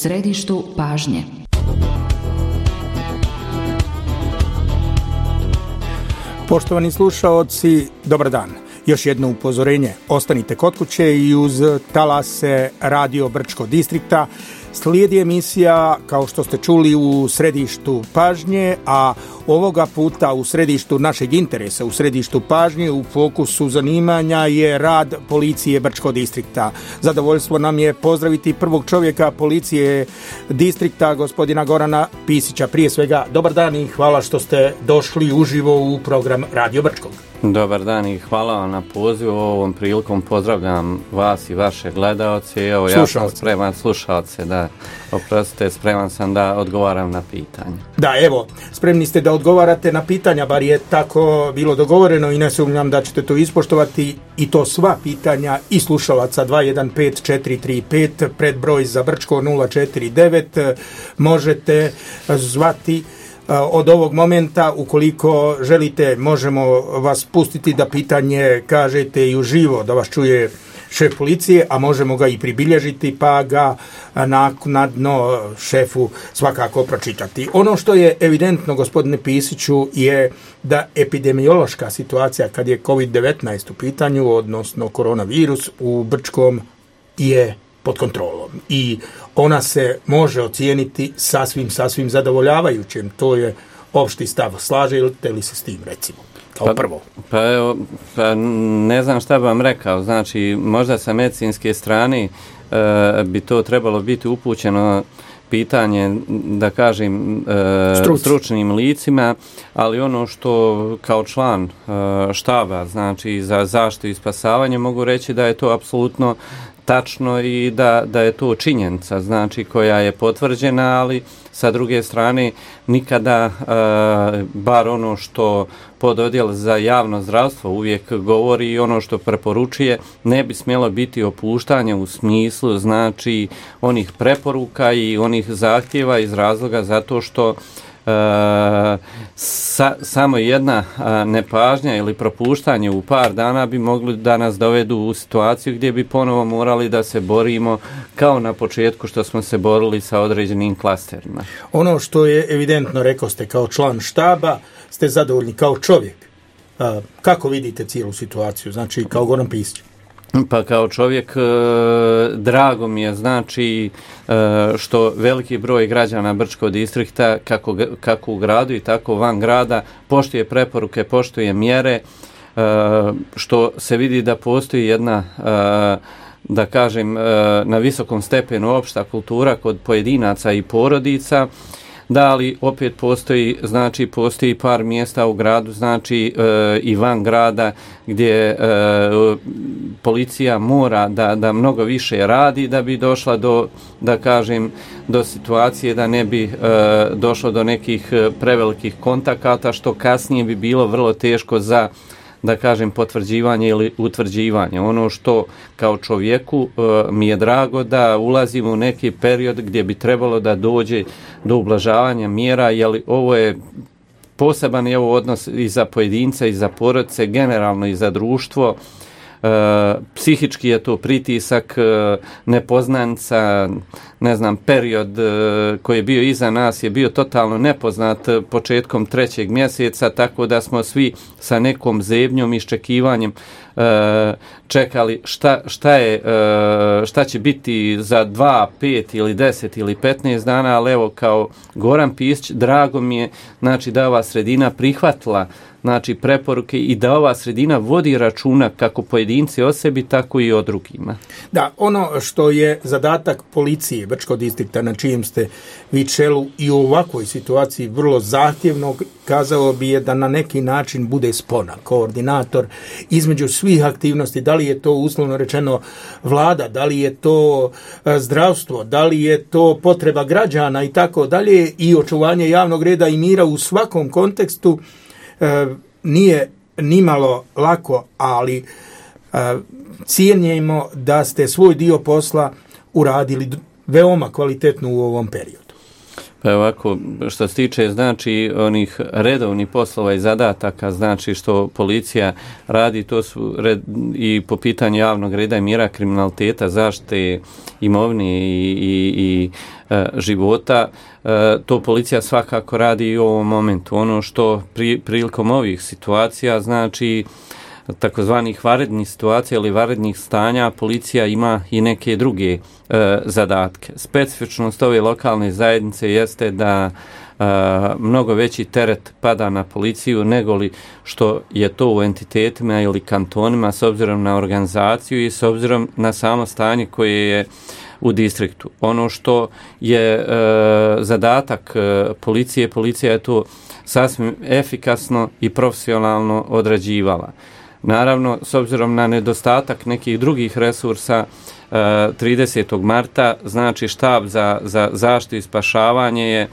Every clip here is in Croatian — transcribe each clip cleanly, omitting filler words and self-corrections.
središtu pažnje. Poštovani slušaoci, dobar dan. Još jedno upozorenje, ostanite kod kuće i uz talase Radio Brčko distrikta. Slijedi emisija, kao što ste čuli, u središtu pažnje, a ovoga puta u središtu našeg interesa, u središtu pažnje, u fokusu zanimanja je rad policije Brčko distrikta. Zadovoljstvo nam je pozdraviti prvog čovjeka policije distrikta, gospodina Gorana Pisića. Prije svega, dobar dan i hvala što ste došli uživo u program Radio Brčkog. Dobar dan i hvala vam na pozivu. Ovom prilikom pozdravljam vas i vaše gledaoce. Evo, ja sam spreman, slušalce, da, oprostite, spreman sam da odgovaram na pitanja. Da, evo, spremni ste da odgovarate na pitanja, bar je tako bilo dogovoreno i ne sumnjam da ćete to ispoštovati, i to sva pitanja i slušalaca. 215435, predbroj za Brčko 049, možete zvati od ovog momenta. Ukoliko želite, možemo vas pustiti da pitanje kažete i uživo, da vas čuje šef policije, a možemo ga i pribilježiti pa ga naknadno šefu svakako pročitati. Ono što je evidentno, gospodine Pisiću, je da epidemiološka situacija kad je COVID-19 u pitanju, odnosno koronavirus u Brčkom, je pod kontrolom i ona se može ocijeniti sasvim zadovoljavajućim. To je opšti stav. Slažete li se s tim, recimo? Kao prvo. Pa ne znam šta bi vam rekao. Znači, možda sa medicinske strane bi to trebalo biti upućeno pitanje, da kažem, stručnim licima, ali ono što kao član štaba, znači za zaštitu i spasavanje, mogu reći da je to apsolutno tačno i da je to činjenica, znači, koja je potvrđena, ali sa druge strane nikada, bar ono što pododjel za javno zdravstvo uvijek govori i ono što preporučuje, ne bi smjelo biti opuštanje u smislu, znači, onih preporuka i onih zahtjeva iz razloga zato što samo jedna nepažnja ili propuštanje u par dana bi mogli da nas dovedu u situaciju gdje bi ponovo morali da se borimo kao na početku što smo se borili sa određenim klasterima. Ono što je evidentno, rekao ste, kao član štaba ste zadovoljni kao čovjek. Kako vidite cijelu situaciju, znači kao Goran Pisić? Pa kao čovjek drago mi je, znači, što veliki broj građana Brčkog distrikta, kako u gradu i tako van grada, poštuje preporuke, poštuje mjere, što se vidi da postoji jedna, da kažem, na visokom stepenu opšta kultura kod pojedinaca i porodica. Da, ali opet postoji par mjesta u gradu, znači i van grada, gdje policija mora da mnogo više radi da bi došla do situacije da ne bi došlo do nekih prevelikih kontakata, što kasnije bi bilo vrlo teško za, da kažem, potvrđivanje ili utvrđivanje. Ono što kao čovjeku mi je drago da ulazimo u neki period gdje bi trebalo da dođe do ublažavanja mjera, jer ovo je poseban je ovo odnos i za pojedinca i za porodice, generalno i za društvo. Psihički je to pritisak, nepoznanica, ne znam, period koji je bio iza nas je bio totalno nepoznat početkom 3. mjeseca, tako da smo svi sa nekom zebnjom, iščekivanjem čekali šta će biti za 2, 5 ili 10 ili 15 dana, ali evo, kao Goran Pisić, drago mi je, znači, da ova sredina prihvatila, znači, preporuke i da ova sredina vodi računa kako pojedinci o sebi, tako i o drugima. Da, ono što je zadatak policije Brčkog distrikta, na čijem ste vi čelu, i u ovakvoj situaciji vrlo zahtjevnog, kazao bi je da na neki način bude spona, koordinator između svih aktivnosti, da li je to uslovno rečeno vlada, da li je to zdravstvo, da li je to potreba građana i tako dalje, i očuvanje javnog reda i mira u svakom kontekstu. Nije nimalo lako, ali cijenjemo da ste svoj dio posla uradili veoma kvalitetno u ovom periodu. Pa ovako, što se tiče znači onih redovnih poslova i zadataka, znači što policija radi, to su i po pitanju javnog reda i mira, kriminaliteta, zaštite imovine i života, to policija svakako radi i u ovom momentu. Ono što prilikom ovih situacija, znači takozvanih vanrednih situacija ili vanrednih stanja, policija ima i neke druge zadatke. Specifičnost ove lokalne zajednice jeste da mnogo veći teret pada na policiju nego li što je to u entitetima ili kantonima s obzirom na organizaciju i s obzirom na samo stanje koje je u distriktu. Ono što je zadatak policije, policija je to sasvim efikasno i profesionalno odrađivala. Naravno, s obzirom na nedostatak nekih drugih resursa, 30. marta, znači štab za zaštitu i spašavanje je,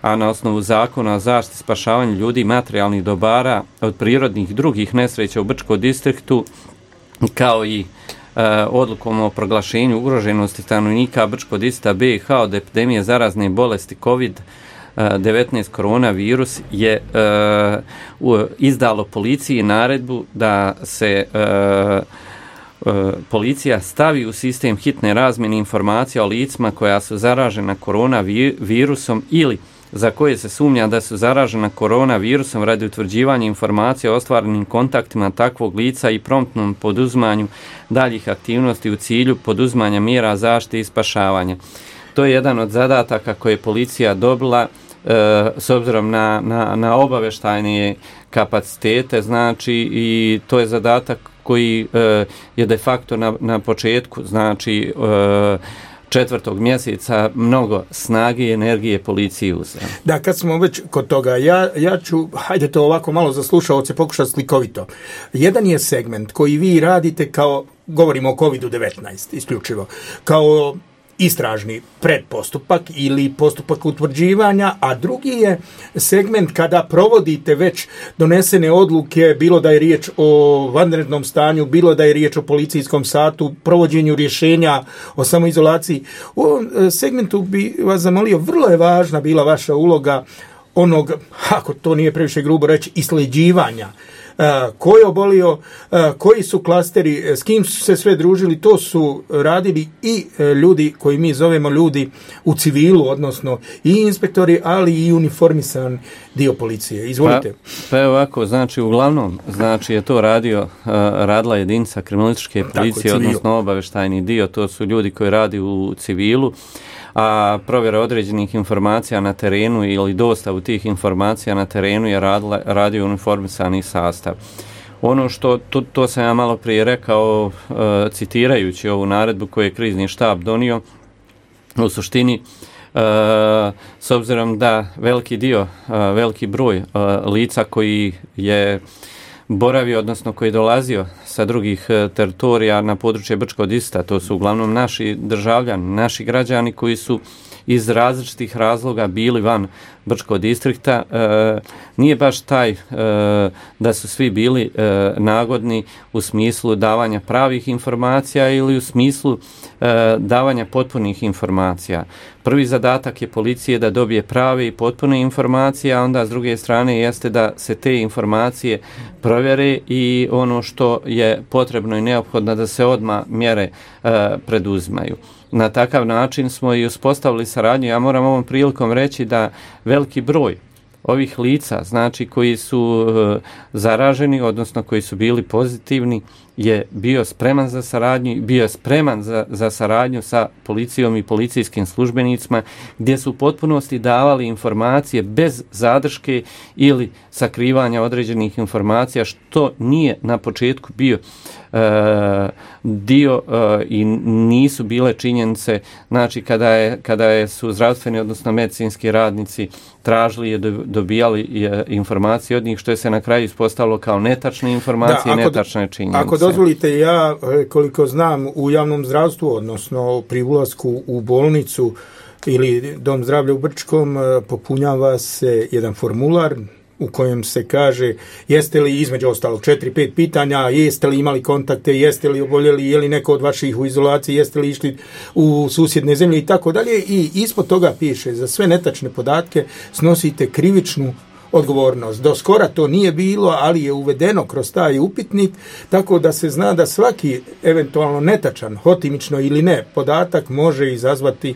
a na osnovu zakona o zaštiti i spašavanju ljudi i materijalnih dobara od prirodnih i drugih nesreća u Brčkom distriktu, kao i odlukom o proglašenju ugroženosti stanovnika Brčkog distrikta BiH od epidemije zarazne bolesti COVID-19 koronavirus je izdalo policiji naredbu da se policija stavi u sistem hitne razmjene informacija o licima koja su zaražena koronavirusom ili za koje se sumnja da su zaražena koronavirusom radi utvrđivanja informacija o ostvarenim kontaktima takvog lica i promptnom poduzimanju daljih aktivnosti u cilju poduzimanja mjera zaštite i spašavanja. To je jedan od zadataka koje je policija dobila s obzirom na obavještajne kapacitete, znači i to je zadatak koji je de facto na početku, znači 4. mjeseca mnogo snage i energije policiji uzeo. Da, kad smo već kod toga, ja ću, hajde to ovako malo za slušaoce pokušati slikovito. Jedan je segment koji vi radite kao, govorimo o COVID-19 isključivo, kao istražni predpostupak ili postupak utvrđivanja, a drugi je segment kada provodite već donesene odluke, bilo da je riječ o vanrednom stanju, bilo da je riječ o policijskom satu, provođenju rješenja o samoizolaciji. U ovom segmentu bi vas zamolio, vrlo je važna bila vaša uloga onog, ako to nije previše grubo reći, isleđivanja. Ko je obolio, koji su klasteri, s kim su se sve družili, to su radili i ljudi koji mi zovemo ljudi u civilu, odnosno i inspektori, ali i uniformisan dio policije. Izvolite. Pa ovako, znači uglavnom, znači je to radila jedinica kriminalističke policije, odnosno obavještajni dio, to su ljudi koji radi u civilu, a provjera određenih informacija na terenu ili dostavu tih informacija na terenu je radio uniformisani sastav. Ono što, to sam ja malo prije rekao, citirajući ovu naredbu koju je krizni štab donio, u suštini, s obzirom da veliki broj lica koji je boravio, odnosno koji je dolazio sa drugih teritorija na područje Brčkog distrikta, to su uglavnom naši državljani, naši građani koji su iz različitih razloga bili van Brčkog distrikta, nije baš taj da su svi bili nagodni u smislu davanja pravih informacija ili u smislu davanja potpunih informacija. Prvi zadatak je policije da dobije prave i potpune informacije, a onda s druge strane jeste da se te informacije provjere i ono što je potrebno i neophodno da se odmah mjere preduzimaju. Na takav način smo i uspostavili saradnju. Ja moram ovom prilikom reći da veliki broj ovih lica, znači koji su zaraženi, odnosno koji su bili pozitivni, je bio spreman za saradnju, bio je spreman za saradnju sa policijom i policijskim službenicima, gdje su u potpunosti davali informacije bez zadrške ili sakrivanja određenih informacija, što nije na početku bio dio i nisu bile činjenice, znači kada su zdravstveni, odnosno medicinski radnici tražili i dobijali informacije od njih, što je se na kraju ispostavilo kao netačne informacije i netačne činjenice. Ako dozvolite, ja koliko znam u javnom zdravstvu, odnosno pri ulasku u bolnicu ili dom zdravlja u Brčkom, popunjava se jedan formular u kojem se kaže jeste li između ostalog 4-5 pitanja, jeste li imali kontakte, jeste li oboljeli, je li neko od vaših u izolaciji, jeste li išli u susjedne zemlje i tako dalje, i ispod toga piše za sve netačne podatke snosite krivičnu odgovornost. Do skora to nije bilo, ali je uvedeno kroz taj upitnik, tako da se zna da svaki eventualno netačan, hotimično ili ne, podatak može izazvati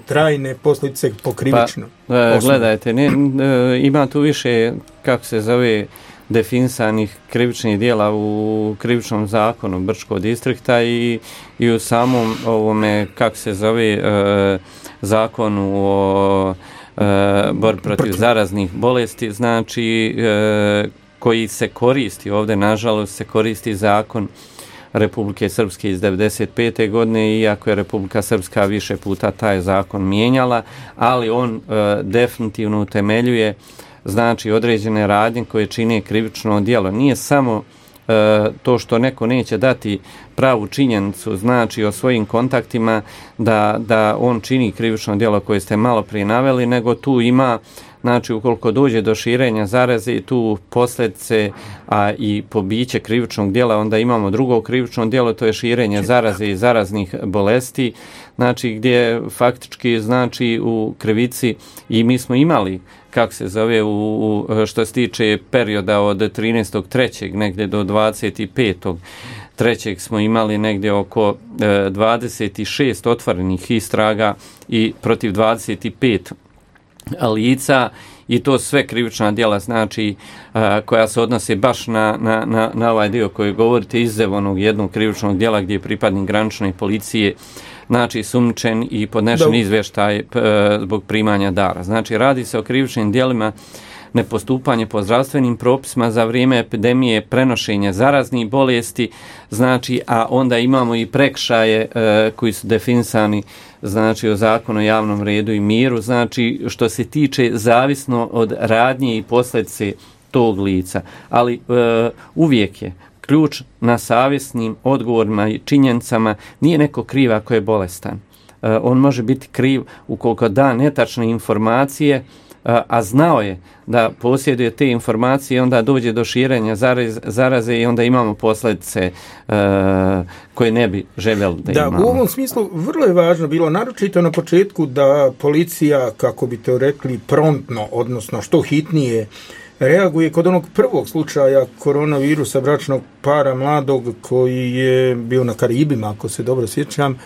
trajne posljedice po krivičnom. Gledajte, ima tu više, kako se zove, definisanih krivičnih dijela u krivičnom zakonu Brčkog distrikta i u samom ovome, kako se zove, zakonu o borbi protiv zaraznih bolesti, znači koji se koristi, ovdje nažalost se koristi zakon Republike Srpske iz 1995. godine, iako je Republika Srpska više puta taj zakon mijenjala, ali on definitivno utemeljuje znači određene radnje koje čine krivično djelo. Nije samo to što neko neće dati pravu činjenicu, znači o svojim kontaktima da on čini krivično djelo koje ste malo prije naveli, nego tu ima, znači ukoliko dođe do širenja zaraze, tu posljedice, a i pobiće krivičnog djela, onda imamo drugo krivično djelo, to je širenje zaraze i zaraznih bolesti, znači gdje faktički znači u krivici, i mi smo imali, kako se zove, što se tiče perioda od 13.3. negdje do 25.3. smo imali negdje oko 26 otvorenih istraga i protiv 25 lica, i to sve krivična djela, znači koja se odnose baš na ovaj dio koji govorite, izuzev onog jednog krivičnog djela gdje je pripadnik granične policije znači sumnjičen i podnešen izvještaj zbog primanja dara. Znači radi se o krivičnim djelima nepostupanje po zdravstvenim propisima za vrijeme epidemije, prenošenje zaraznih bolesti, znači, a onda imamo i prekršaje koji su definisani znači o zakonu o javnom redu i miru, znači što se tiče zavisno od radnje i posljedice tog lica, ali uvijek je ključ na savjesnim odgovorima i činjenicama. Nije neko kriv ako je bolestan. On može biti kriv ukoliko da netačne informacije, a znao je da posjeduje te informacije, onda dođe do širenja zaraze i onda imamo posljedice koje ne bi željeli da imamo. Da, u ovom smislu vrlo je važno bilo, naročito na početku, da policija, kako bi to rekli, promptno, odnosno što hitnije, reaguje kod onog prvog slučaja koronavirusa bračnog para mladog koji je bio na Karibima, ako se dobro sjećam.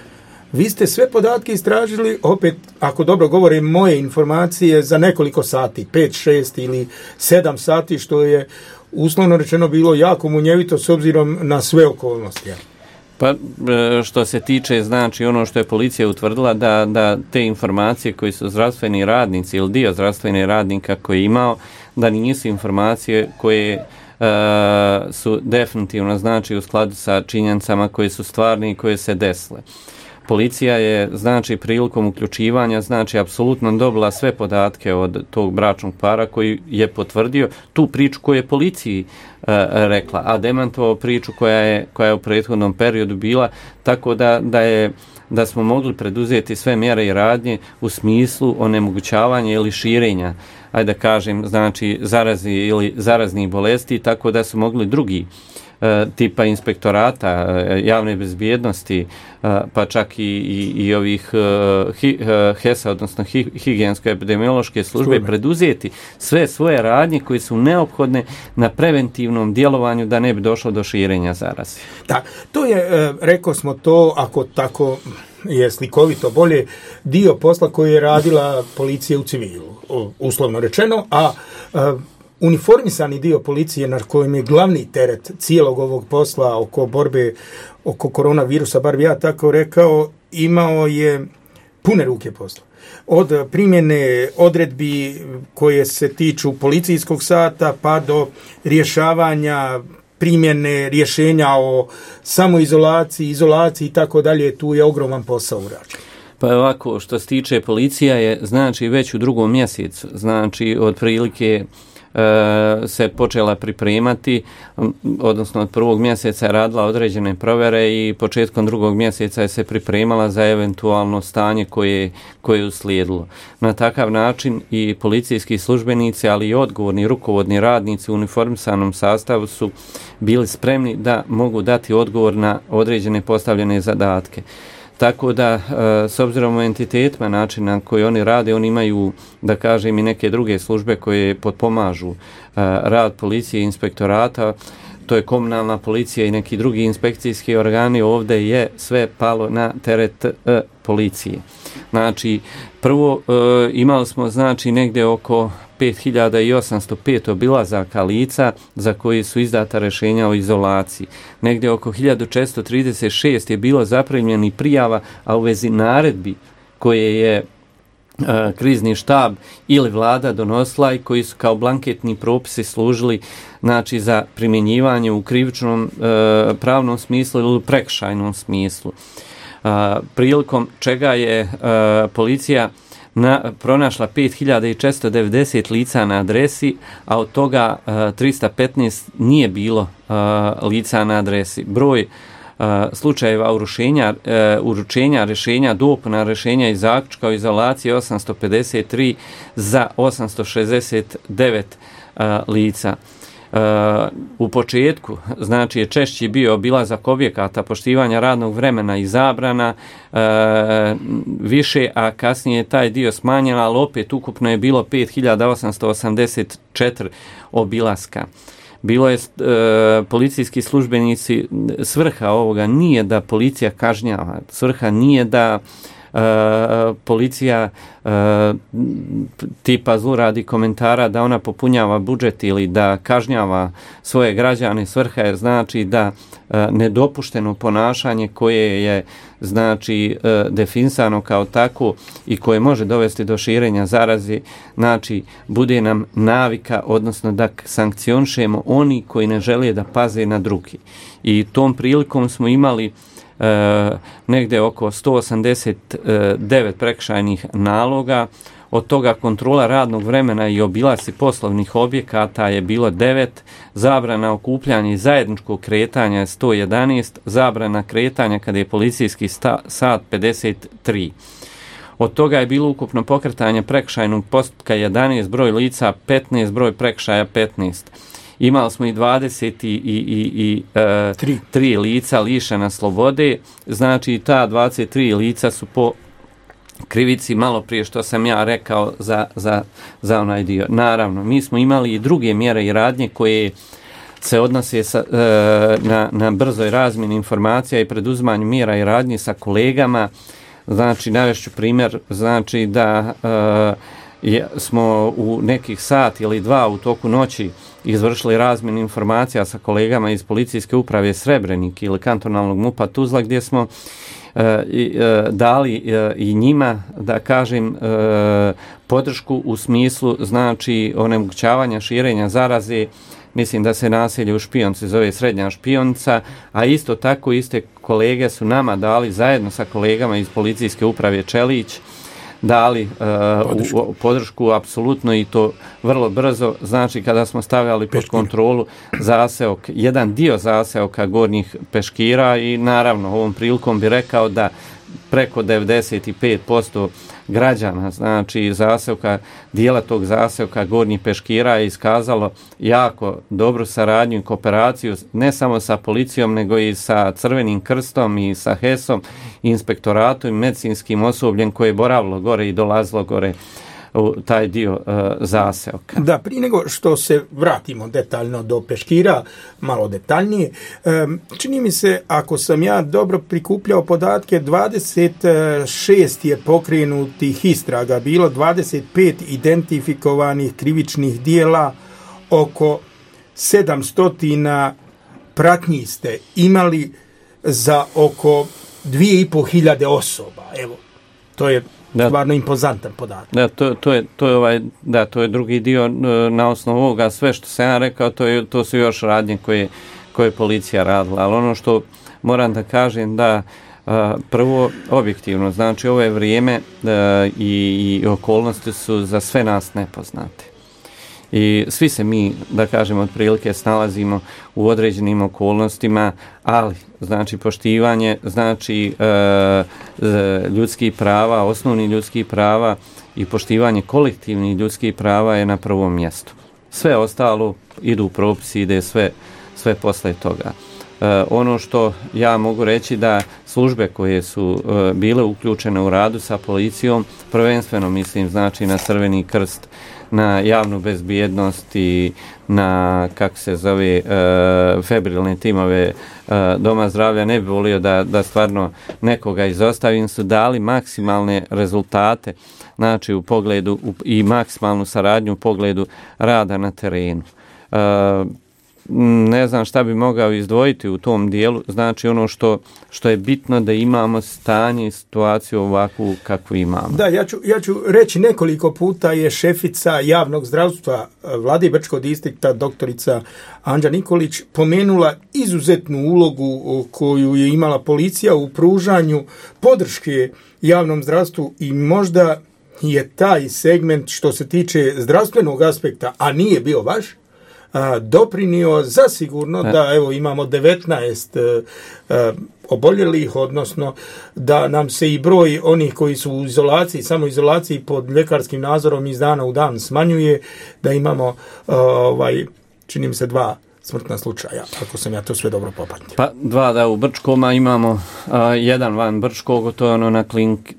Vi ste sve podatke istražili, opet, ako dobro govore moje informacije, za nekoliko sati, 5, 6 ili 7 sati, što je uslovno rečeno bilo jako munjevito s obzirom na sve okolnosti. Pa što se tiče, znači ono što je policija utvrdila, da te informacije koji su zdravstveni radnici ili dio zdravstvenih radnika koji je imao, da nisu informacije koje su definitivno znači u skladu sa činjenicama koje su stvarne i koje se desile. Policija je, znači, prilikom uključivanja, znači, apsolutno dobila sve podatke od tog bračnog para koji je potvrdio tu priču koju je policiji rekla, a demantovao priču koja je u prethodnom periodu bila, tako da smo mogli preduzeti sve mjere i radnje u smislu onemogućavanja ili širenja, ajde da kažem, znači, zarazi ili zaraznih bolesti, tako da su mogli drugi tipa inspektorata, javne bezbjednosti, pa čak i ovih HES-a, odnosno higijensko-epidemiološke službe, preduzeti sve svoje radnje koje su neophodne na preventivnom djelovanju da ne bi došlo do širenja zaraze. Da, to je, rekao smo to, ako tako je slikovito bolje, dio posla koji je radila policija u civilu, uslovno rečeno, a uniformisani dio policije na kojem je glavni teret cijelog ovog posla oko borbe oko koronavirusa, bar bi ja tako rekao, imao je pune ruke posla. Od primjene odredbi koje se tiču policijskog sata pa do rješavanja primjene rješenja o samoizolaciji, izolaciji i tako dalje, tu je ogroman posao urađen. Pa ovako, što se tiče policija je, znači, već u drugom mjesecu, znači, otprilike se počela pripremati, odnosno od 1. mjeseca je radila određene provjere i početkom 2. mjeseca je se pripremala za eventualno stanje koje je uslijedilo. Na takav način i policijski službenici, ali i odgovorni rukovodni radnici u uniformisanom sastavu su bili spremni da mogu dati odgovor na određene postavljene zadatke. Tako da, s obzirom u entitetima načina na koji oni rade, oni imaju, da kažem, i neke druge službe koje potpomažu rad policije i inspektorata, to je komunalna policija i neki drugi inspekcijski organi, ovdje je sve palo na teret policije. Znači, prvo imali smo znači negdje oko 5805 obilazaka lica za koji su izdata rješenja o izolaciji. Negdje oko 1436 je bilo zaprimljenih prijava, a u vezi naredbi koje je krizni štab ili vlada donosila i koji su kao blanketni propisi služili znači za primjenjivanje u krivičnom pravnom smislu ili u prekršajnom smislu. Prilikom čega je policija pronašla 5490 lica na adresi, a od toga 315 nije bilo lica na adresi. Broj slučajeva uručenja rješenja, dopuna rješenja i zaključka o izolaciji 853 za 869 lica. U početku, znači je češći bio obilazak objekata, poštivanja radnog vremena i zabrana više, a kasnije je taj dio smanjen, ali opet ukupno je bilo 5884 obilaska. Bilo je policijski službenici, svrha ovoga nije da policija kažnjava, svrha nije da policija tipa zluradi komentara da ona popunjava budžet ili da kažnjava svoje građane. Svrha je znači da nedopušteno ponašanje koje je znači definisano kao tako i koje može dovesti do širenja zaraze, znači bude nam navika, odnosno da sankcionišemo oni koji ne žele da paze na drugi. I tom prilikom smo imali negdje oko 189 prekršajnih naloga, od toga kontrola radnog vremena i obilasci poslovnih objekata je bilo 9, zabrana okupljanja i zajedničkog kretanja je 111, zabrana kretanja kada je policijski sat 53. Od toga je bilo ukupno pokretanje prekršajnog postupka 11, broj lica 15, broj prekršaja 15. Imali smo i 23 lica lišena slobode, znači ta 23 lica su po krivici malo prije što sam ja rekao za onaj dio. Naravno, mi smo imali i druge mjere i radnje koje se odnose na brzoj razmjeni informacija i preduzimanju mjera i radnji sa kolegama. Znači, navešću primjer, znači da smo u nekih sat ili dva u toku noći izvršili razmjenu informacija sa kolegama iz policijske uprave Srebrenik ili kantonalnog MUP-a Tuzla, gdje smo dali i njima, da kažem, podršku u smislu znači onemogućavanja širenja zaraze. Mislim da se naselje u Špionci zove Srednja Špionica, a isto tako iste kolege su nama dali zajedno sa kolegama iz policijske uprave Čelić dali podršku apsolutno i to vrlo brzo, znači kada smo stavljali pod kontrolu zaseok, jedan dio zaseoka Gornjih Peškira i naravno ovom prilikom bi rekao da preko 95% građana, znači zaseoka, dijela tog zaseoka Gornjih Peškira je iskazalo jako dobru saradnju i kooperaciju ne samo sa policijom nego i sa Crvenim krstom i sa HES-om, inspektoratom i medicinskim osobljem koje je boravilo gore i dolazilo gore u taj dio zaseoka. Da, prije nego što se vratimo detaljno do Peškira, malo detaljnije, čini mi se, ako sam ja dobro prikupljao podatke, 26 je pokrenutih istraga, bilo 25 identifikovanih krivičnih dijela, oko 700 pratnji ste imali za oko 2500 osoba. Evo, to je stvarno impozantan podatak. Da, to je drugi dio na osnovu ovoga. Sve što sam ja rekao, to su još radnje koje policija radila. Ali ono što moram da kažem da prvo objektivno, znači ovo je vrijeme i okolnosti su za sve nas nepoznate. I svi se mi, da kažemo, otprilike snalazimo u određenim okolnostima, ali znači poštivanje, znači ljudskih prava, osnovnih ljudskih prava i poštivanje kolektivnih ljudskih prava je na prvom mjestu. Sve ostalo idu u propisi, ide sve posle toga. Ono što ja mogu reći da službe koje su bile uključene u radu sa policijom, prvenstveno mislim znači na Crveni krst, na javnu bezbjednost i na, kako se zove, febrilne timove Doma zdravlja, ne bi volio da stvarno nekoga izostavim, su dali maksimalne rezultate, znači u pogledu i maksimalnu saradnju u pogledu rada na terenu. Ne znam šta bi mogao izdvojiti u tom dijelu, znači ono što je bitno da imamo stanje i situaciju ovakvu kakvu imamo. Da, ja ću reći nekoliko puta je šefica javnog zdravstva Vlade Brčkog distrikta doktorica Anđa Nikolić pomenula izuzetnu ulogu koju je imala policija u pružanju podrške javnom zdravstvu i možda je taj segment što se tiče zdravstvenog aspekta, a nije bio vaš, doprinio zasigurno da evo imamo 19 oboljelih, odnosno da nam se i broj onih koji su u izolaciji, samoizolaciji pod ljekarskim nadzorom iz dana u dan smanjuje, da imamo čini mi se 2 smrtna slučaja, ako sam ja to sve dobro popamtio. Pa 2 da u Brčkom, a imamo 1 van Brčkog, to je ono na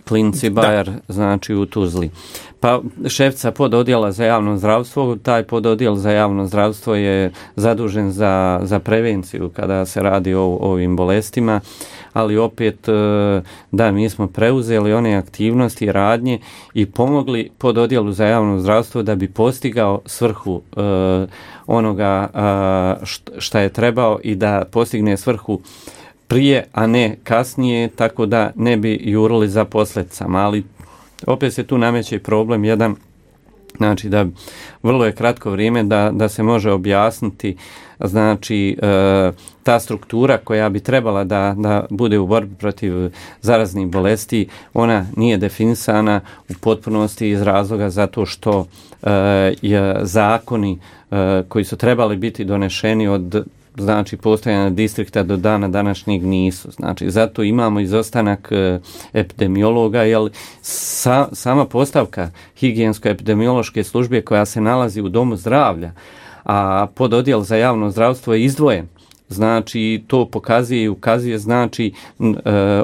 klinici Bayer, znači u Tuzli. Pa šefica pododjela za javno zdravstvo, taj pododjel za javno zdravstvo je zadužen za prevenciju kada se radi o ovim bolestima, ali opet da mi smo preuzeli one aktivnosti i radnje i pomogli pododjelu za javno zdravstvo da bi postigao svrhu onoga šta je trebao i da postigne svrhu prije, a ne kasnije, tako da ne bi jurili za posljedicama, ali opet se tu nameće problem jedan, znači da vrlo je kratko vrijeme da se može objasniti, znači ta struktura koja bi trebala da bude u borbi protiv zaraznih bolesti, ona nije definisana u potpunosti iz razloga zato što zakoni koji su trebali biti donešeni od znači postojanja distrikta do dana današnjeg nisu. Znači zato imamo izostanak epidemiologa, jer sama postavka higijensko-epidemiološke službe koja se nalazi u domu zdravlja, a pododjel za javno zdravstvo je izdvojen. Znači to pokazuje i ukazuje znači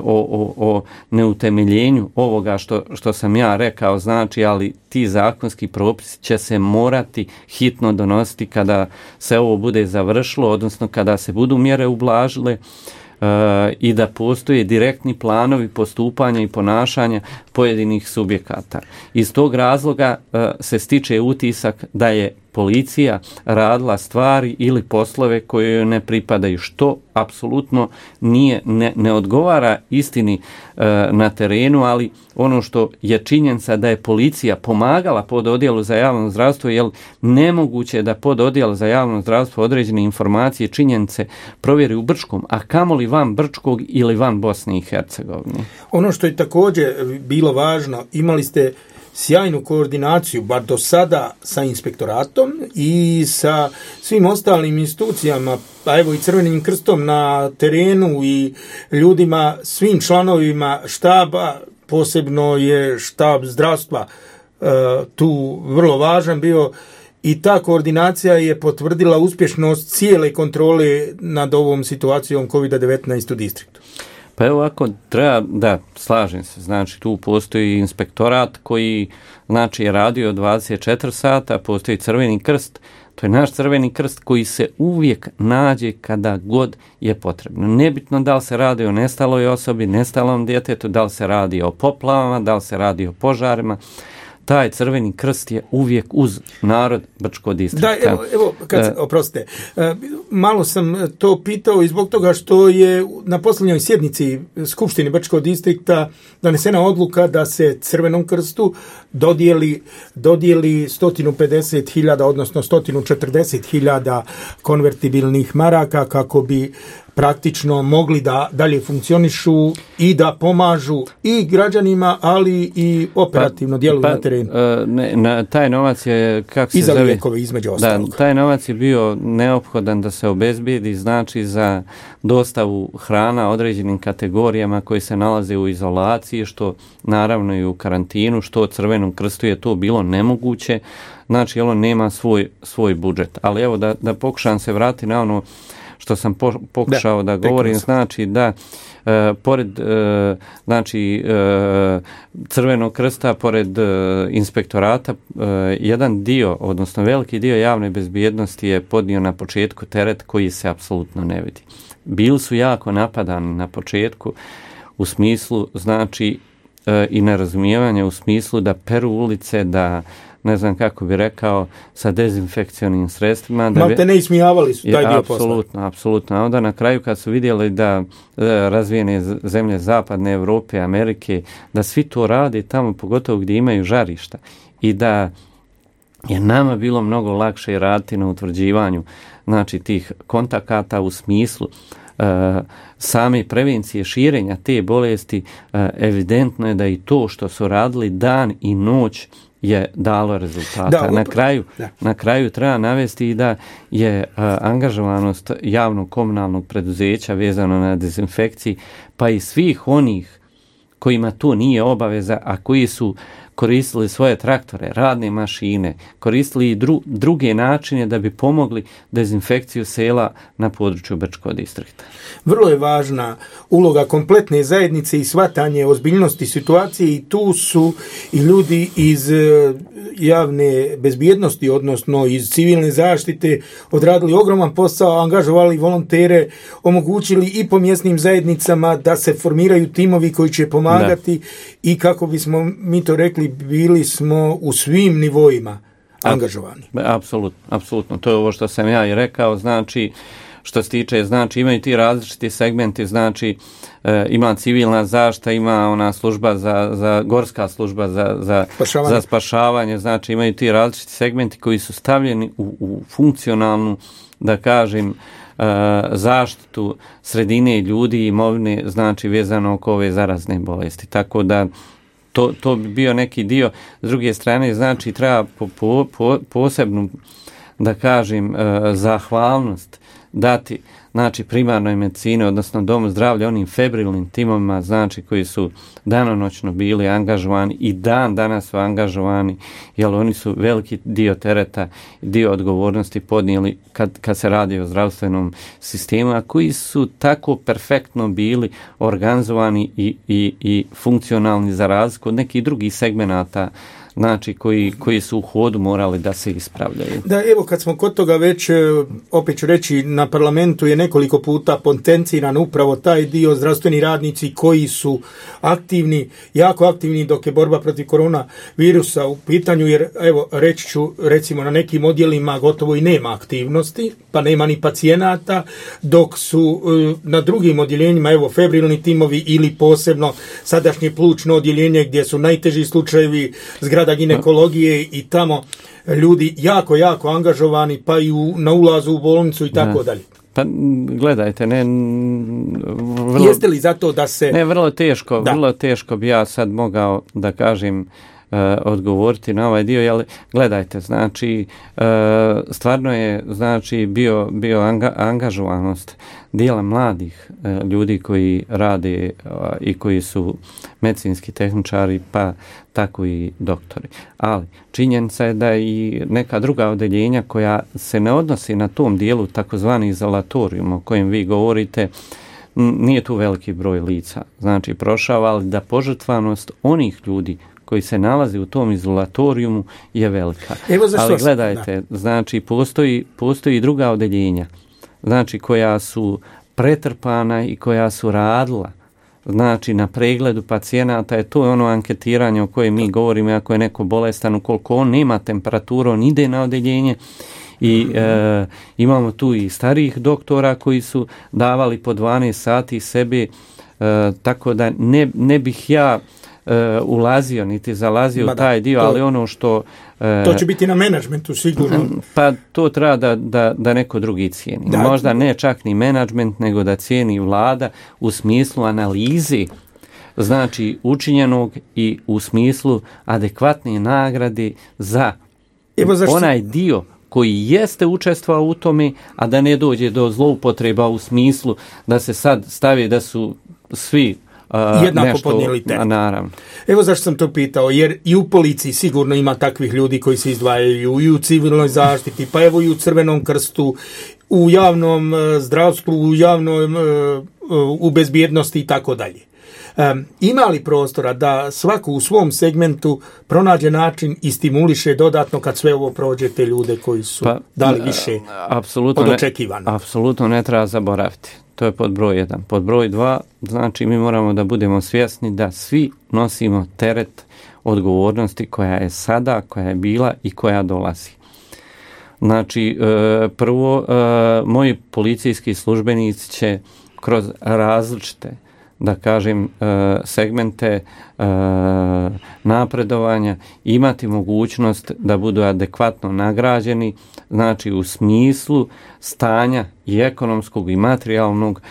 o neutemeljenju ovoga što sam ja rekao, znači, ali ti zakonski propisi će se morati hitno donositi kada se ovo bude završilo, odnosno kada se budu mjere ublažile i da postoje direktni planovi postupanja i ponašanja pojedinih subjekata. Iz tog razloga se stiče utisak da je policija radila stvari ili poslove koje joj ne pripadaju, što apsolutno ne odgovara istini na terenu, ali ono što je činjenica da je policija pomagala pododjelu za javno zdravstvo, jer nemoguće da pododjel za javno zdravstvo određene informacije, činjenice provjeri u Brčkom, a kamoli van Brčkog ili van Bosne i Hercegovine. Ono što je također bilo važno, imali ste sjajnu koordinaciju, bar do sada, sa inspektoratom i sa svim ostalim institucijama, pa evo i Crvenim krstom na terenu i ljudima, svim članovima štaba, posebno je štab zdravstva tu vrlo važan bio i ta koordinacija je potvrdila uspješnost cijele kontrole nad ovom situacijom COVID-19 u distriktu. Pa evo ako treba, da, slažem se, znači tu postoji inspektorat koji znači je radio 24 sata, postoji Crveni krst, to je naš Crveni krst koji se uvijek nađe kada god je potrebno. Nebitno da li se radi o nestaloj osobi, nestalom djetetu, da li se radi o poplavama, da li se radi o požarima, taj Crveni krst je uvijek uz narod Brčkog distrikta. Da, evo oprostite, malo sam to pitao i zbog toga što je na posljednjoj sjednici Skupštine Brčkog distrikta donesena odluka da se Crvenom krstu dodijeli 150.000, odnosno 140.000 konvertibilnih maraka kako bi praktično mogli da dalje funkcionišu i da pomažu i građanima, ali i operativno djeluju na terenu. Taj novac je, kako se I za zove, lijekove između ostalog. Taj novac je bio neophodan da se obezbijedi, znači za dostavu hrana određenim kategorijama koji se nalaze u izolaciji, što naravno i u karantinu, što Crvenom krstu je to bilo nemoguće, znači on nema svoj budžet. Ali evo da pokušam se vratiti na ono što sam pokušao da govorim, znači da pored znači Crvenog krsta, pored inspektorata, jedan dio, odnosno veliki dio javne bezbjednosti je podnio na početku teret koji se apsolutno ne vidi. Bili su jako napadani na početku u smislu, znači, i nerazumijevanja u smislu da peru ulice, da ne znam kako bi rekao, sa dezinfekcionim sredstvima. Malte ne ismijavali su taj dio posla. Apsolutno. A onda na kraju kad su vidjeli da razvijene zemlje Zapadne Evrope, Amerike, da svi to rade tamo, pogotovo gdje imaju žarišta, i da je nama bilo mnogo lakše raditi na utvrđivanju, znači, tih kontakata u smislu same prevencije širenja te bolesti, evidentno je da i to što su radili dan i noć je dalo rezultata. Na kraju treba navesti i da je angažovanost javnog komunalnog preduzeća vezano na dezinfekciji, pa i svih onih kojima to nije obaveza, a koji su koristili svoje traktore, radne mašine, koristili i druge načine da bi pomogli dezinfekciju sela na području Brčkog distrikta. Vrlo je važna uloga kompletne zajednice i shvatanje ozbiljnosti situacije, i tu su i ljudi iz javne bezbjednosti, odnosno iz civilne zaštite, odradili ogroman posao, angažovali volontere, omogućili i po mjesnim zajednicama da se formiraju timovi koji će pomagati, i kako bismo mi to rekli, bili smo u svim nivoima angažovani. Apsolutno. To je ovo što sam ja i rekao, znači, što se tiče, znači, imaju ti različiti segmenti, znači, ima civilna zaštita, ima ona služba za gorska služba za spašavanje, znači, imaju ti različiti segmenti koji su stavljeni u funkcionalnu, da kažem, zaštitu sredine, ljudi i imovine, znači, vezano oko ove zarazne bolesti. Tako da to bi bio neki dio. S druge strane, znači, treba posebnu, da kažem, zahvalnost dati, znači, primarnoj medicini, odnosno domu zdravlja, onim febrilnim timovima, znači, koji su danonoćno bili angažovani i dan danas su angažovani, jer oni su veliki dio tereta, dio odgovornosti podnijeli kad se radi o zdravstvenom sistemu, a koji su tako perfektno bili organizovani i funkcionalni za razliku od nekih drugih segmenata, znači, koji su u hodu morali da se ispravljaju. Da, evo, kad smo kod toga već, opet ću reći, na parlamentu je nekoliko puta potenciran upravo taj dio, zdravstveni radnici koji su aktivni, jako aktivni dok je borba protiv koronavirusa u pitanju, jer evo, reći ću, recimo, na nekim odjelima gotovo i nema aktivnosti, pa nema ni pacijenata, dok su na drugim odjeljenjima, evo, febrilni timovi ili posebno sadašnje plućno odjeljenje gdje su najteži slučajevi, zgrada ginekologije, i tamo ljudi jako angažovani, pa i na ulazu u bolnicu i tako dalje. Pa gledajte, jeste li zato da se... Vrlo teško bi ja sad mogao, da kažem, odgovoriti na ovaj dio, ali gledajte, znači, stvarno je, znači, bio angažovanost dijela mladih ljudi koji rade i koji su medicinski tehničari, pa tako i doktori. Ali činjenica je da i neka druga odeljenja koja se ne odnosi na tom dijelu, takozvani izolatorijum o kojem vi govorite, nije tu veliki broj lica, znači, prošao, ali da požrtvanost onih ljudi koji se nalazi u tom izolatorijumu je velika. Ali gledajte, znači, postoji druga odeljenja, znači, koja su pretrpana i koja su radila, znači, na pregledu pacijenata, to je ono anketiranje o kojem mi govorimo, ako je neko bolestan, ukoliko on nema temperaturu, on ide na odeljenje, i imamo tu i starijih doktora koji su davali po 12 sati sebe, tako da ne bih ja ulazio, niti zalazio u taj dio, ali ono što... To će biti na menadžmentu sigurno. Pa to treba da neko drugi cijeni. Da. Možda ne čak ni menadžment, nego da cijeni vlada u smislu analizi, znači učinjenog i u smislu adekvatne nagrade za onaj dio koji jeste učestvovao u tome, a da ne dođe do zloupotreba u smislu da se sad stavi da su svi jednako podnijeli teret. Naravno. Evo zašto sam to pitao, jer i u policiji sigurno ima takvih ljudi koji se izdvajaju i u civilnoj zaštiti, pa evo i u Crvenom krstu, u javnom zdravstvu, u bezbjednosti i tako dalje. Ima li prostora da svako u svom segmentu pronađe način i stimuliše dodatno kad sve ovo prođe te ljude koji su dali više od očekivano? Apsolutno ne treba zaboraviti. To je pod broj 1. Pod broj 2, znači mi moramo da budemo svjesni da svi nosimo teret odgovornosti koja je sada, koja je bila i koja dolazi. Znači, prvo, moji policijski službenici će kroz različite, da kažem, segmente napredovanja imati mogućnost da budu adekvatno nagrađeni, znači u smislu stanja i ekonomskog i materijalnog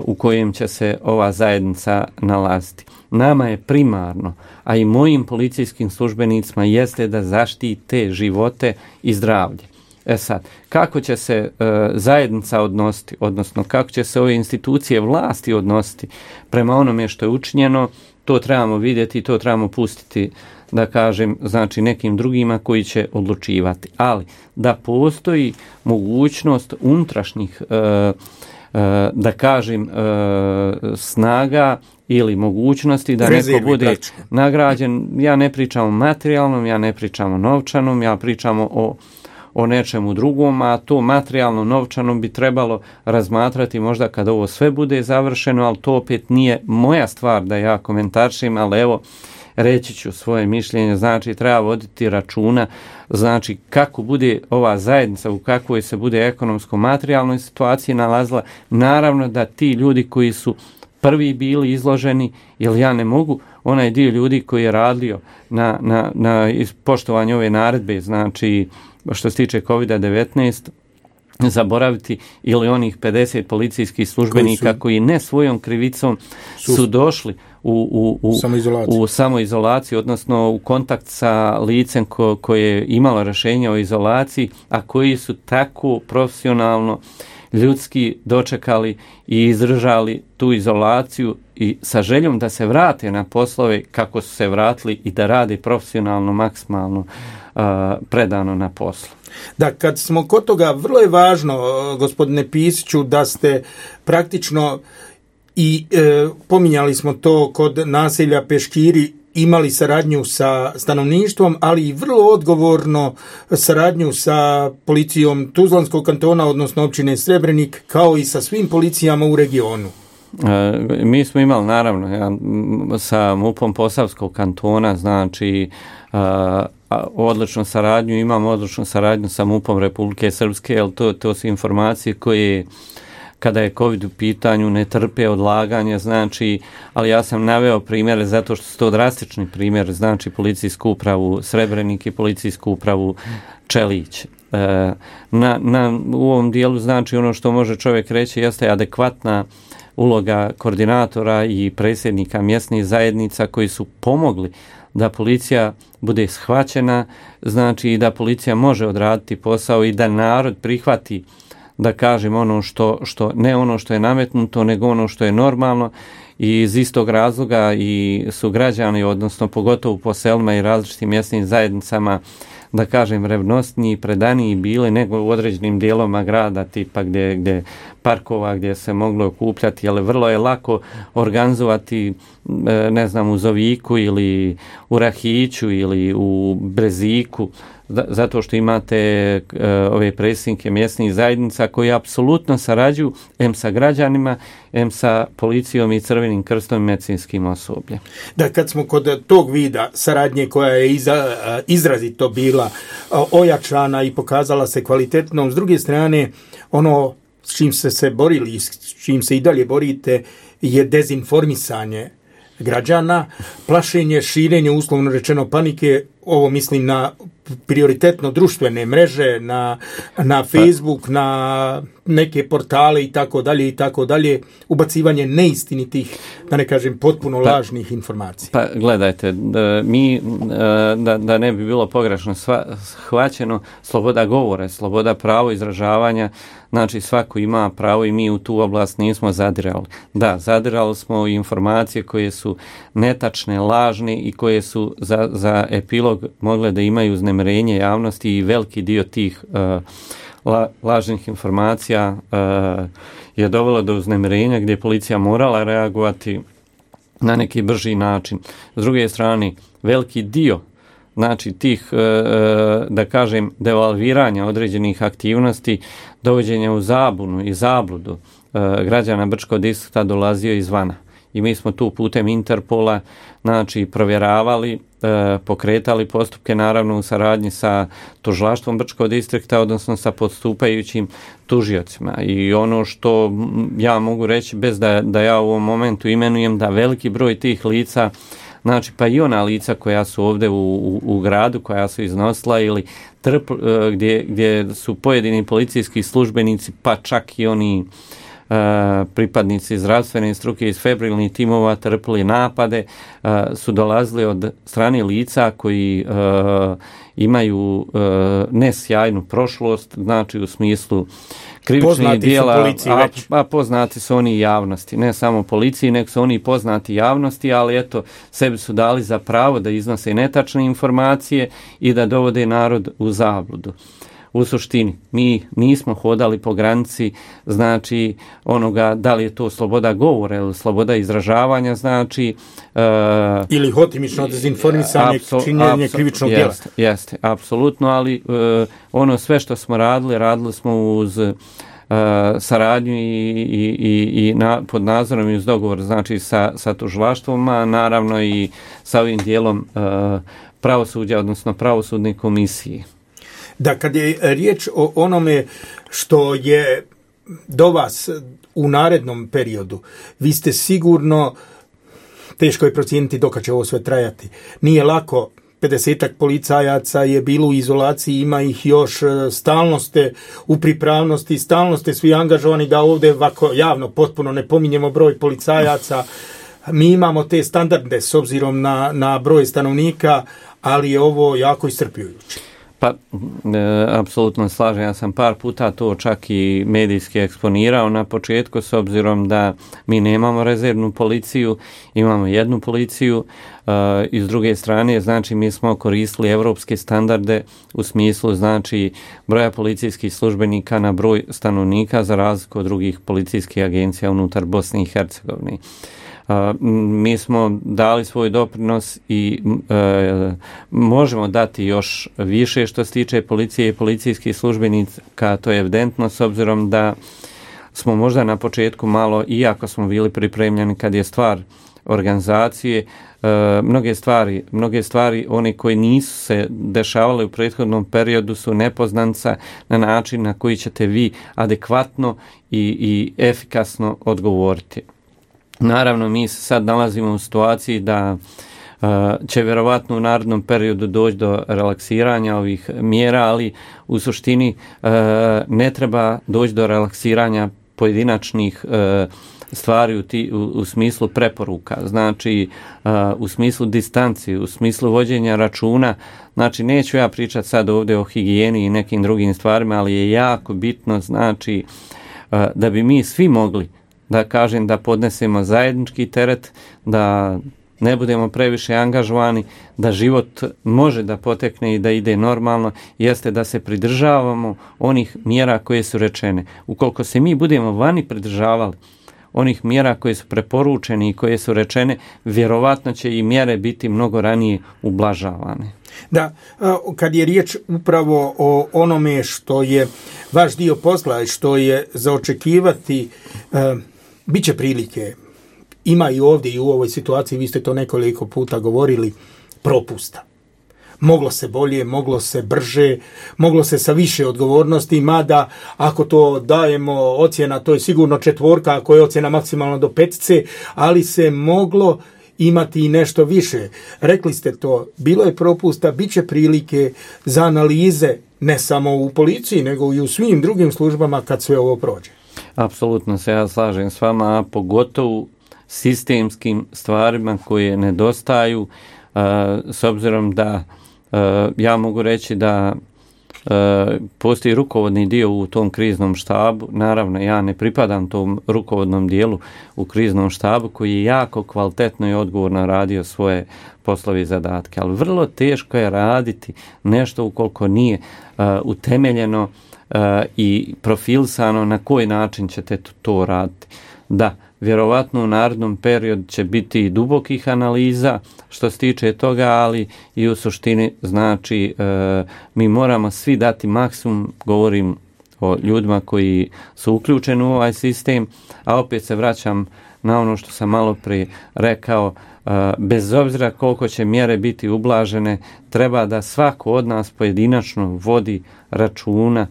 u kojem će se ova zajednica nalaziti. Nama je primarno, a i mojim policijskim službenicima jeste da zaštite živote i zdravlje. Sad, kako će se zajednica odnositi, odnosno kako će se ove institucije vlasti odnositi prema onome što je učinjeno, to trebamo vidjeti, to trebamo pustiti, da kažem, znači nekim drugima koji će odlučivati. Ali da postoji mogućnost unutrašnjih, da kažem, snaga ili mogućnosti da neko bude nagrađen. Ja ne pričam o materijalnom, ja ne pričam o novčanom, ja pričam o nečemu drugom, a to materijalno novčano bi trebalo razmatrati možda kad ovo sve bude završeno, ali to opet nije moja stvar da ja komentaršim, ali evo, reći ću svoje mišljenje, znači treba voditi računa, znači kako bude ova zajednica, u kakvoj se bude ekonomsko-materijalnoj situaciji nalazila, naravno da ti ljudi koji su prvi bili izloženi, jer ja ne mogu onaj dio ljudi koji je radio na poštovanju ove naredbe, znači što se tiče COVID-19, zaboraviti ili onih 50 policijskih službenika koji ne svojom krivicom su došli u samoizolaciju, odnosno u kontakt sa licem koje je imalo rješenje o izolaciji, a koji su tako profesionalno ljudski dočekali i izdržali tu izolaciju i sa željom da se vrate na poslove kako su se vratili i da rade profesionalno, maksimalno predano na poslu. Da, kad smo kod toga, vrlo je važno, gospodine Pisiću, da ste praktično i pominjali smo to kod naselja Peškiri, imali saradnju sa stanovništvom, ali i vrlo odgovorno saradnju sa policijom Tuzlanskog kantona, odnosno općine Srebrenik, kao i sa svim policijama u regionu. Mi smo imali, naravno, sa MUP-om Posavskog kantona, znači odličnu saradnju, imamo odličnu saradnju sa MUP-om Republike Srpske, jer to su informacije koje, kada je COVID u pitanju, ne trpe odlaganje, znači, ali ja sam naveo primjere zato što su to drastični primjer, znači policijsku upravu Srebrenik i policijsku upravu Čelić. U ovom dijelu, znači, ono što može čovjek reći jeste adekvatna uloga koordinatora i predsjednika mjesnih zajednica koji su pomogli da policija bude shvaćena, znači i da policija može odraditi posao i da narod prihvati, da kažem, ono što ne ono što je nametnuto, nego ono što je normalno, i iz istog razloga i su građani, odnosno pogotovo po selima i različitim mjesnim zajednicama, da kažem, revnosniji, predaniji bili nego u određenim dijelovima grada, tipa gdje parkova gdje se moglo okupljati, ali vrlo je lako organizovati, ne znam, u Zoviku ili u Rahiću ili u Breziku, zato što imate ove predsjednike mjesnih zajednica koji apsolutno sarađuju em sa građanima, em sa policijom i Crvenim krstom i medicinskim osobljem. Da, kad smo kod tog vida saradnje koja je izrazito bila ojačana i pokazala se kvalitetnom, s druge strane, ono s čim ste se borili i s čim se i dalje borite je dezinformisanje građana, plašenje, širenje, uslovno rečeno panike, ovo mislim na prioritetno društvene mreže, na Facebook, na neke portale i tako dalje, ubacivanje neistinitih, da ne kažem potpuno lažnih informacija. Pa gledajte, da ne bi bilo pogrešno shvaćeno, sloboda govora, sloboda pravo izražavanja, znači svako ima pravo i mi u tu oblast nismo zadirali. Da, zadirali smo informacije koje su netačne, lažne i koje su za epilog mogle da imaju uznemirenje javnosti i veliki dio tih lažnih informacija je dovelo do uznemirenja gdje je policija morala reagovati na neki brži način. S druge strane, veliki dio znači tih, da kažem, devalviranja određenih aktivnosti, dovođenja u zabunu i zabludu građana Brčkog distrikta dolazio izvana. I mi smo tu putem Interpola znači provjeravali, pokretali postupke naravno u saradnji sa tužilaštvom Brčkog distrikta, odnosno sa postupajućim tužiocima. I ono što ja mogu reći, bez da ja u ovom momentu imenujem, da veliki broj tih lica, znači pa i ona lica koja su ovdje u gradu, koja su iznosila ili gdje su pojedini policijski službenici, pa čak i oni pripadnici zdravstvene struke iz febrilnih timova trpili napade, su dolazili od strane lica koji imaju nesjajnu prošlost, znači u smislu krivičnih dijela, a poznati su oni javnosti, ne samo policiji, nego su oni poznati javnosti, ali eto, sebi su dali za pravo da iznose netačne informacije i da dovode narod u zabludu. U suštini, mi nismo hodali po granici, znači onoga da li je to sloboda govora ili sloboda izražavanja, znači ili hotimično dezinformisanje, činjenje krivičnog djela. Jeste, apsolutno, ali ono sve što smo radili smo uz saradnju i pod nadzorom i uz dogovor, znači sa tužilaštvom, a naravno i sa ovim dijelom pravosuđa, odnosno pravosudne komisije. Da, kad je riječ o onome što je do vas u narednom periodu, vi ste sigurno, teško je procijeniti dokad će ovo sve trajati. Nije lako, 50-ak policajaca je bilo u izolaciji, ima ih još, stalno ste u pripravnosti, stalno ste svi angažovani, da ovdje ovako javno potpuno ne pominjemo broj policajaca. Mi imamo te standarde s obzirom na broj stanovnika, ali je ovo jako iscrpljujuće. Pa, apsolutno slažem. Ja sam par puta to čak i medijski eksponirao na početku, s obzirom da mi nemamo rezervnu policiju, imamo jednu policiju i s druge strane, znači mi smo koristili evropske standarde u smislu, znači, broja policijskih službenika na broj stanovnika za razliku od drugih policijskih agencija unutar Bosne i Hercegovine. Mi smo dali svoj doprinos i možemo dati još više što se tiče policije i policijskih službenika, to je evidentno, s obzirom da smo možda na početku malo, iako smo bili pripremljeni kad je stvar organizacije, mnoge stvari oni koji nisu se dešavali u prethodnom periodu su nepoznanca na način na koji ćete vi adekvatno i efikasno odgovoriti. Naravno, mi se sad nalazimo u situaciji da će vjerovatno u narednom periodu doći do relaksiranja ovih mjera, ali u suštini ne treba doći do relaksiranja pojedinačnih stvari u smislu preporuka, znači u smislu distanci, u smislu vođenja računa. Znači, neću ja pričati sad ovdje o higijeni i nekim drugim stvarima, ali je jako bitno, znači, da bi mi svi mogli, da kažem, da podnesemo zajednički teret, da ne budemo previše angažovani, da život može da potekne i da ide normalno, jeste da se pridržavamo onih mjera koje su rečene. Ukoliko se mi budemo vani pridržavali onih mjera koje su preporučene i koje su rečene, vjerovatno će i mjere biti mnogo ranije ublažavane. Da, kad je riječ upravo o onome što je vaš dio posla i što je za očekivati, bit će prilike. Ima i ovdje i u ovoj situaciji, vi ste to nekoliko puta govorili, propusta. Moglo se bolje, moglo se brže, moglo se sa više odgovornosti, mada ako to dajemo ocjena, to je sigurno 4, ako je ocjena maksimalno do 5, ali se moglo imati i nešto više. Rekli ste to, bilo je propusta, bit će prilike za analize, ne samo u policiji, nego i u svim drugim službama kad sve ovo prođe. Apsolutno se ja slažem s vama, a pogotovo sistemskim stvarima koje nedostaju, s obzirom da ja mogu reći da postoji rukovodni dio u tom kriznom štabu. Naravno, ja ne pripadam tom rukovodnom dijelu u kriznom štabu koji je jako kvalitetno i odgovorno radio svoje poslove i zadatke, ali vrlo teško je raditi nešto ukoliko nije utemeljeno i profilisano na koji način ćete to raditi. Da, vjerovatno u narednom periodu će biti i dubokih analiza što se tiče toga, ali i u suštini znači mi moramo svi dati maksimum, govorim o ljudima koji su uključeni u ovaj sistem, a opet se vraćam na ono što sam malo prije rekao, bez obzira koliko će mjere biti ublažene, treba da svako od nas pojedinačno vodi računa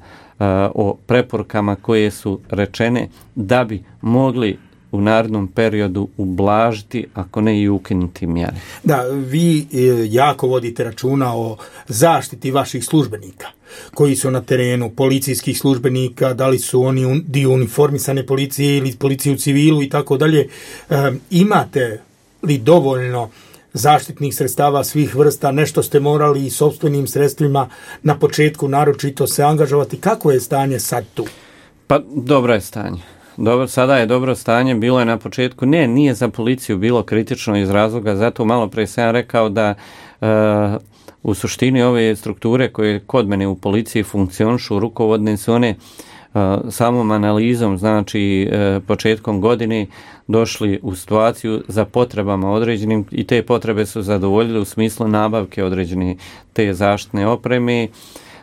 o preporukama koje su rečene da bi mogli u narednom periodu ublažiti, ako ne i ukinuti mjere. Da, vi jako vodite računa o zaštiti vaših službenika koji su na terenu, policijskih službenika, da li su oni dio uniformisane policije ili policije u civilu i tako dalje. Imate li dovoljno zaštitnih sredstava svih vrsta, nešto ste morali i sopstvenim sredstvima na početku naročito se angažovati? Kako je stanje sad tu? Pa dobro je stanje. Dobro, sada je dobro stanje, bilo je na početku, nije za policiju bilo kritično iz razloga, zato malo prije sam rekao da u suštini ove strukture koje kod mene u policiji funkcionišu, rukovodne su one samom analizom, znači početkom godine došli u situaciju za potrebama određenim i te potrebe su zadovoljile u smislu nabavke određene te zaštitne opreme.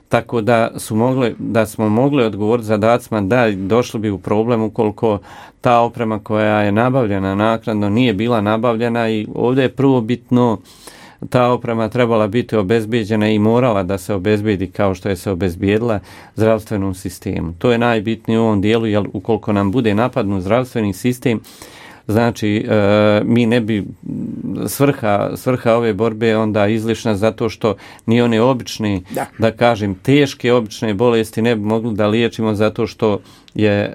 Tako da smo mogli odgovoriti zadacima da došli bi u problem ukoliko ta oprema koja je nabavljena naknadno nije bila nabavljena i ovdje je prvobitno ta oprema trebala biti obezbijeđena i morala da se obezbijedi kao što je se obezbijedila zdravstvenom sistemu. To je najbitnije u ovom dijelu, jer ukoliko nam bude napadnut zdravstveni sistem, znači mi ne bi svrha ove borbe onda izlišna zato što ni one obične, da kažem teške obične bolesti ne bi mogli da liječimo zato što je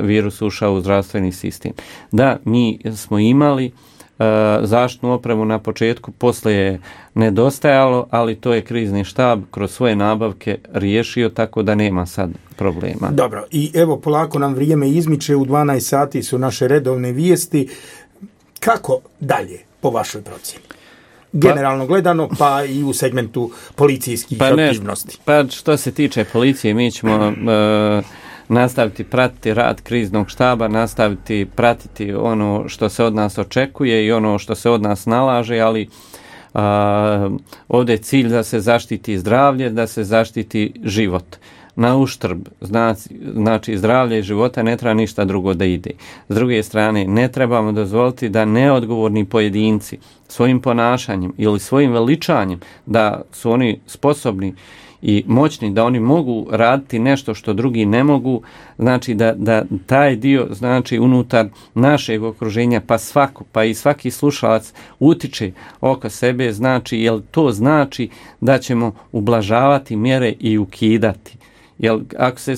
virus ušao u zdravstveni sistem. Da, mi smo imali zaštitnu opremu na početku, poslije je nedostajalo, ali to je krizni štab kroz svoje nabavke riješio, tako da nema sad problema. Dobro, i evo polako nam vrijeme izmiče, u 12 sati su naše redovne vijesti. Kako dalje po vašoj procjeni? Generalno gledano, pa i u segmentu policijskih aktivnosti. Pa što se tiče policije, mi ćemo nastaviti pratiti rad kriznog štaba, nastaviti pratiti ono što se od nas očekuje i ono što se od nas nalaže, ali ovdje je cilj da se zaštiti zdravlje, da se zaštiti život. Na uštrb, znači zdravlje i života ne treba ništa drugo da ide. S druge strane, ne trebamo dozvoliti da neodgovorni pojedinci svojim ponašanjem ili svojim veličanjem, da su oni sposobni i moćni, da oni mogu raditi nešto što drugi ne mogu, znači da taj dio znači unutar našeg okruženja pa i svaki slušalac utiče oko sebe, znači jel to znači da ćemo ublažavati mjere i ukidati. Jer ako se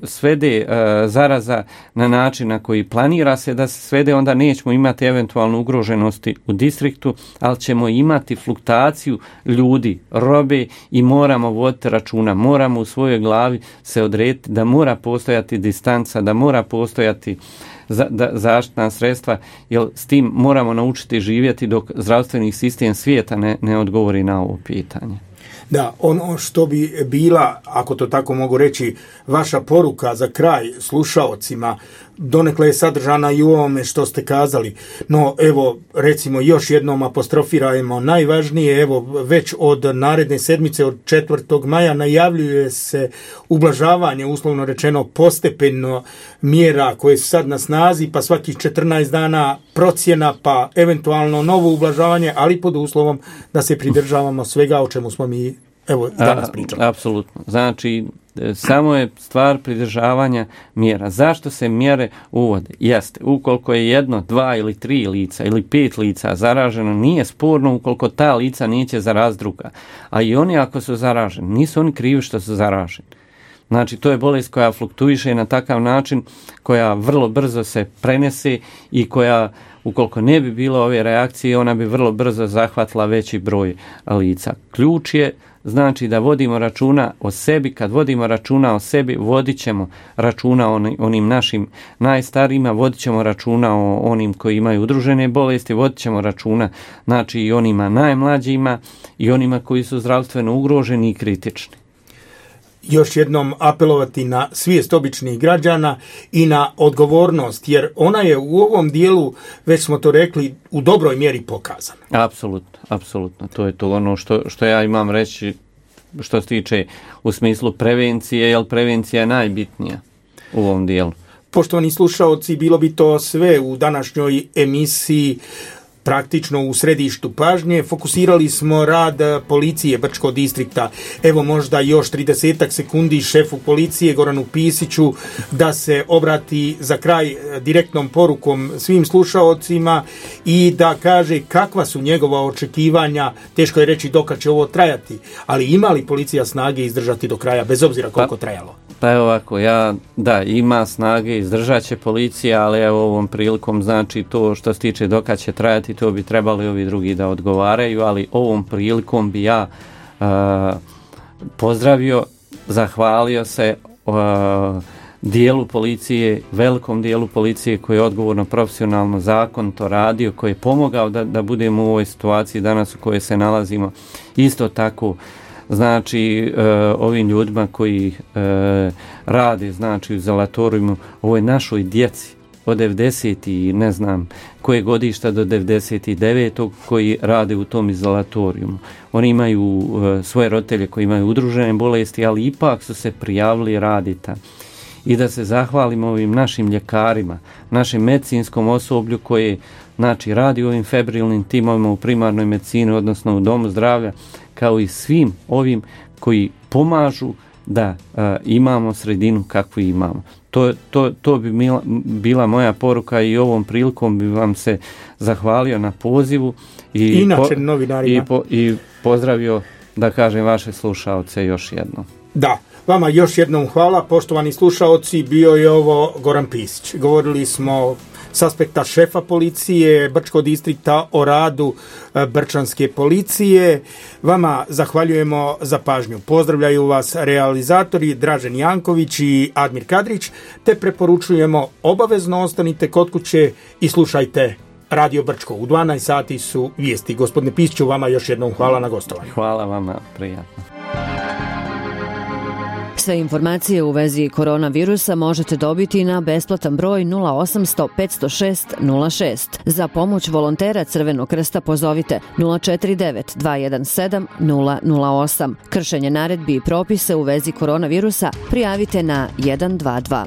svede zaraza na način na koji planira se da se svede, onda nećemo imati eventualno ugroženosti u distriktu, ali ćemo imati fluktaciju ljudi, robe i moramo voditi računa, moramo u svojoj glavi se odrediti da mora postojati distanca, da mora postojati zaštitna sredstva, jer s tim moramo naučiti živjeti dok zdravstveni sistem svijeta ne odgovori na ovo pitanje. Da, ono što bi bila, ako to tako mogu reći, vaša poruka za kraj slušaocima, donekle je sadržana i u ovome što ste kazali, no evo recimo još jednom apostrofirajmo najvažnije, evo već od naredne sedmice od 4. maja najavljuje se ublažavanje, uslovno rečeno postepeno mjera koje su sad na snazi, pa svakih 14 dana procjena, pa eventualno novo ublažavanje, ali pod uslovom da se pridržavamo svega o čemu smo mi evo danas pričali. Apsolutno. Znači, samo je stvar pridržavanja mjera. Zašto se mjere uvode? Jeste, ukoliko je 1, 2 ili 3 lica ili 5 lica zaraženo, nije sporno ukoliko ta lica neće zaraziti druga. A i oni ako su zaraženi, nisu oni krivi što su zaraženi. Znači, to je bolest koja fluktuiše na takav način, koja vrlo brzo se prenese i koja, ukoliko ne bi bilo ove reakcije, ona bi vrlo brzo zahvatila veći broj lica. Ključ je, znači, da vodimo računa o sebi. Kad vodimo računa o sebi, vodit ćemo računa o onim našim najstarijima, vodit ćemo računa o onim koji imaju udružene bolesti, vodit ćemo računa, znači, i onima najmlađima i onima koji su zdravstveno ugroženi i kritični. Još jednom apelovati na svijest običnih građana i na odgovornost, jer ona je u ovom dijelu, već smo to rekli, u dobroj mjeri pokazana. Apsolutno. To je to ono što ja imam reći što se tiče u smislu prevencije, jer prevencija je najbitnija u ovom dijelu. Poštovani slušaoci, bilo bi to sve u današnjoj emisiji. Praktično u središtu pažnje fokusirali smo rad policije Brčkog distrikta. Evo možda još 30 sekundi šefu policije Goranu Pisiću da se obrati za kraj direktnom porukom svim slušaocima i da kaže kakva su njegova očekivanja. Teško je reći dokad će ovo trajati, ali ima li policija snage izdržati do kraja, bez obzira koliko trajalo? Pa evo ovako, ima snage, izdržat će policija, ali evo ovom prilikom, znači to što se tiče dokad će trajati, to bi trebali ovi drugi da odgovaraju, ali ovom prilikom bi ja pozdravio, zahvalio se dijelu policije, velikom dijelu policije koji je odgovorno, profesionalno, zakonito radio, koji je pomogao da budemo u ovoj situaciji danas u kojoj se nalazimo. Isto tako, znači, ovim ljudima koji rade, znači, u izolatorijumu, ovoj našoj djeci od 90 i ne znam koje godišta do 99. koji rade u tom izolatorijumu. Oni imaju svoje roditelje koji imaju udružene bolesti, ali ipak su se prijavili raditi. I da se zahvalimo ovim našim ljekarima, našem medicinskom osoblju koje, znači, radi u ovim febrilnim timovima u primarnoj medicini, odnosno u domu zdravlja, kao i svim ovim koji pomažu da imamo sredinu kakvu imamo. To bi bila moja poruka i ovom prilikom bi vam se zahvalio na pozivu i pozdravio, da kažem, vaše slušaoce još jednom. Da, vama još jednom hvala, poštovani slušaoci, bio je ovo Goran Pisić. Govorili smo s aspekta šefa policije Brčkog distrikta o radu Brčanske policije. Vama zahvaljujemo za pažnju. Pozdravljaju vas realizatori Dražen Janković i Admir Kadrić, te preporučujemo obavezno ostanite kod kuće i slušajte Radio Brčko. U 12 sati su vijesti. Gospodine Pisiću, vama još jednom hvala na gostovanju. Hvala vama, prijatno. Sve informacije u vezi koronavirusa možete dobiti na besplatan broj 0800 506 06. Za pomoć volontera Crvenog krsta pozovite 049 217 008. Kršenje naredbi i propise u vezi koronavirusa prijavite na 122.